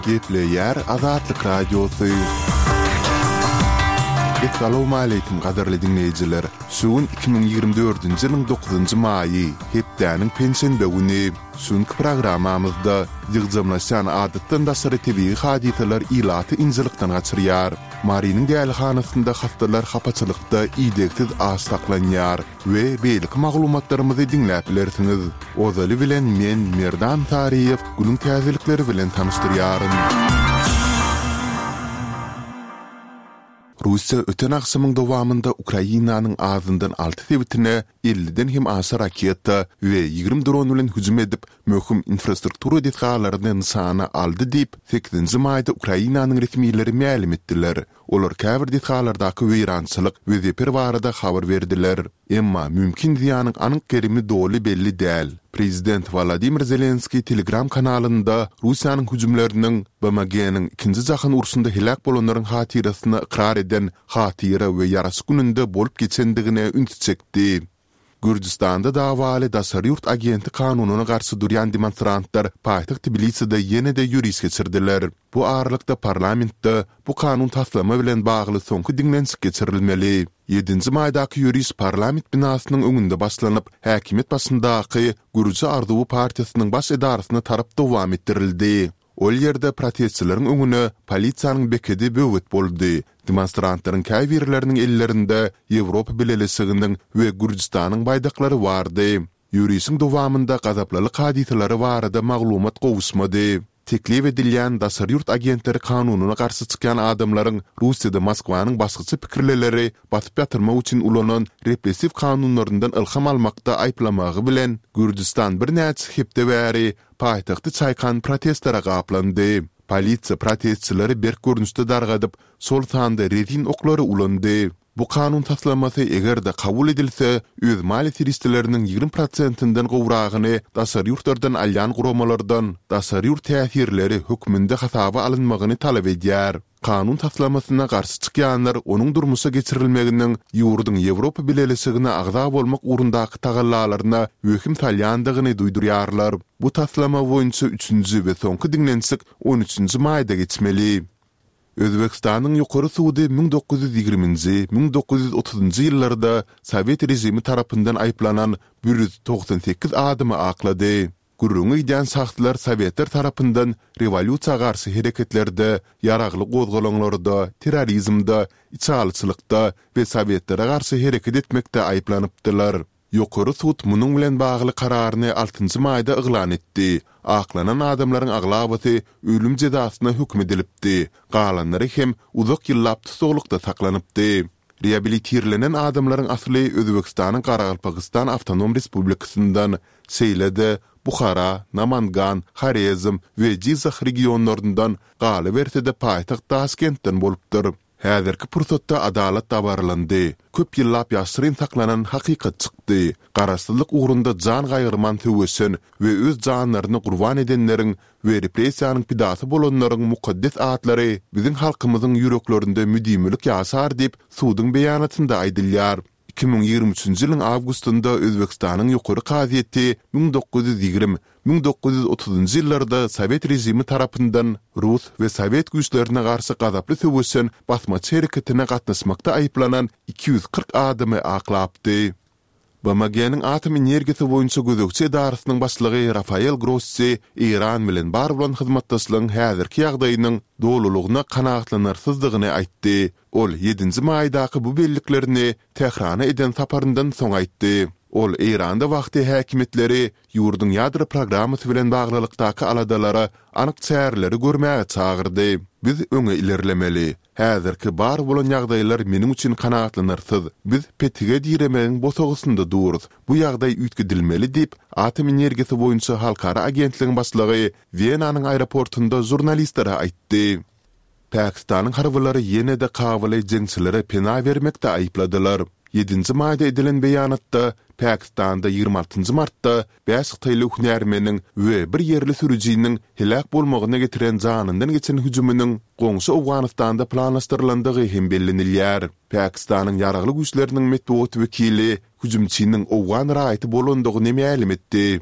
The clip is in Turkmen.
Gepleýär Azatlyk Radiosy. Essalawmaleýkim gadyrly diňleýjiler! Şu gün 2024-nji ýylyň dokuzynjy maýy, hepdäniň penşenbe güni. Şu günki programmamyzda ýygjamlaşýan adatdan daşary tebigy hadysalar ilaty ynjalykdan gaçyrýar. Marynyň dälihanasynda hassalar hapaçylykda idegsiz aç saklanýar we beýleki maglumatlarymyzy diňläp bilersiňiz. Ozaly bilen men Merdan Saryýew günüň täzelikleri bilen tanyşdyrýaryn. Russiýa öten agşamyň dowamynda Ukrainanyň azyndan alty sebitine elliden hem aşa raketa we 20 dron bilen hüjüm edip, möhüm infrastruktura desgalaryny nyşana aldy diýip, sekizinji maýda Ukrainanyň resmileri mälim etdiler. Olar käbir desgalardaky weýrançylyk we zeper barada habar berdiler. Emma mümkin zyýanyň anyk gerimi doly belli däl. Prezident Wolodymyr Zelenskiý Telegram kanalynda Russiýanyň hüjümleriniň BMG-niň Ikinji jahan urşunda heläk bolanlaryň hatyrasyna ykrar eden Hatyra we ýaraşyk gününde bolup geçendigine ünsi çekdi. Gürjüstanda dawaly daşary ýurt agenti kanunyna garşy durýan demonstrantlar paýtagt Tbiliside ýene-de ýöriş geçirdiler. Bu aralykda parlamentde bu kanun taslama bilen bagly soňky diňlenişik geçirilmeli. Ýedinji maýdaky ýöriş parlament binasynyň öňünde başlanyp, häkimiýet başyndaky Gürji arzuwy partiýasynyň baş edarasyna tarap dowam etdirildi. Ol ýerde protestçileriň öňüne polisiýanyň bekedi böwet boldy. Demonstrantlaryň käbirleriniň ellerinde Ýewropa Bileleşiginiň we Gürjüstanyň baýdaklary bardy. Ýörişiň dowamynda gazaplylyk hadysalary barada maglumat gowuşmady. Teklip edilýän daşary ýurt agentleri kanunyna garşy çykýan adamlaryň Russiýada Moskwanyň başgaça pikirlileri basyp ýatyrmak üçin ulanan repressiw kanunlaryndan ylham almakda aýyplamagy bilen, Gürjüstan birnäçe hepde bäri paýtagty çaýkan protestlere gaplandy. Polisiýa protestçileri berk görnüşde dargadyp, şol sanda rezin oklary ulandy. Bu kanun taslamasy eger-de kabul edilse, öz maliýe serişdeleriniň 20 prosentinden gowragyny daşary ýurtlardan alýan guramalardan daşary ýurt täsirleri hökmünde hasaba alynmagyny talap edýär. Kanun taslamasyna garşy çykýanlar onuň durmuşa geçirilmeginiň ýurduň Ýewropa Bileleşigine agza bolmak ugrundaky tagallalaryna wehim salýandygyny duýdurýarlar. Bu taslama boýunça üçünji we soňky diňlenişik on üçünji maýda geçmeli. Özbegistanyň Ýokary sudy 1920-nji, 1930-njy ýyllarda sowet režimi tarapyndan aýyplanan 198 adamy aklady. Gürrüňi gidýän şahslar sowetler tarapyndan rewolýusiýa garşy hereketlerde, ýaragly gozgalaňlarda, terrorizmde, içalyçylykda we sowetlere garşy hereket etmekde aýyplanypdylar. Ýokary sud munuň bilen bagly kararyny altynjy maýda yglan etdi. Aklanan adamlaryň aglabasy ölüm jezasyna höküm edilipdi, galanlary hem uzak ýyllap tussaglykda saklanypdy. Reabilitirlenen adamlaryň asly Özbegistanyň Garagalpagystan Awtonom Respublikasyndan, şeýle-de Buhara, Namangan, Horezm we Jyzah regionlaryndan, galyberse-de paýtagt Daşkentden bolupdyr. Häzirki pursatda adalat dabaralandy. Köp ýyllap ýaşyryn saklanan hakykat çykdy. Garaşsyzlyk ugrunda jan gaýgyrman söweşen we öz janlaryny gurban edenleriň we repressiýanyň pidasy bolanlaryň mukaddes atlary biziň halkymyzyň ýüreklerinde müdimilik ýaşar diýip, suduň beýanatynda aýdylýar. 2023-nji ýylyň awgustynda Özbegistanyň Ýokary kazyýeti 1920, 1930-njy ýyllarda sowet režimi tarapyndan rus we sowet güýçlerine garşy gazaply söweşen basmaçy hereketine gatnaşmakda aýyplanan 240 adamy aklapdy. BMG-niň Atom energiýasy boýunça gözegçi edarasynyň başlygy Rafael Grossi Eýran bilen bar bolan hyzmatdaşlygyň häzirki ýagdaýynyň dolulygyna kanagatlanarsyzdygyny aýtdy. Ol ýedinji maýdaky bu belliklerini Tährana eden saparyndan soň aýtdy. Ol Eýranda wagty häkimiýetleri ýurduň ýadro programmasy bilen baglylykdaky aladalara anyk çäreleri görmäge çagyrdy. Biz öňe ilerlemeli. Häzirki bar bolan ýagdaýlar meniň üçin kanagatlanarsyz. Biz petige diremegiň bosagasynda durus. Bu ýagdaý üýtgedilmeli diýip, Atom energiýasy boýunça halkara agentligiň başlygy Wenanyň aeroportunda žurnalistlere aýtdy. Pakistanyň harbylary ýene-de Kabuly jeňçilere pena bermekde aýypladylar. Ýedinji maýda edilen beýanatda Pakistanda 26 nji martda bäş hytaýly hünärmeniň we bir ýerli sürüjiniň heläk bolmagyna getiren janyndan geçen hüjüminiň goňşy Owganystanda planlaşdyrylandygy hem bellenilýär. Pakistanyň ýaragly güýçleriniň metbugat wekili hüjümçiniň owgan raýaty bolandygyny mälim etdi.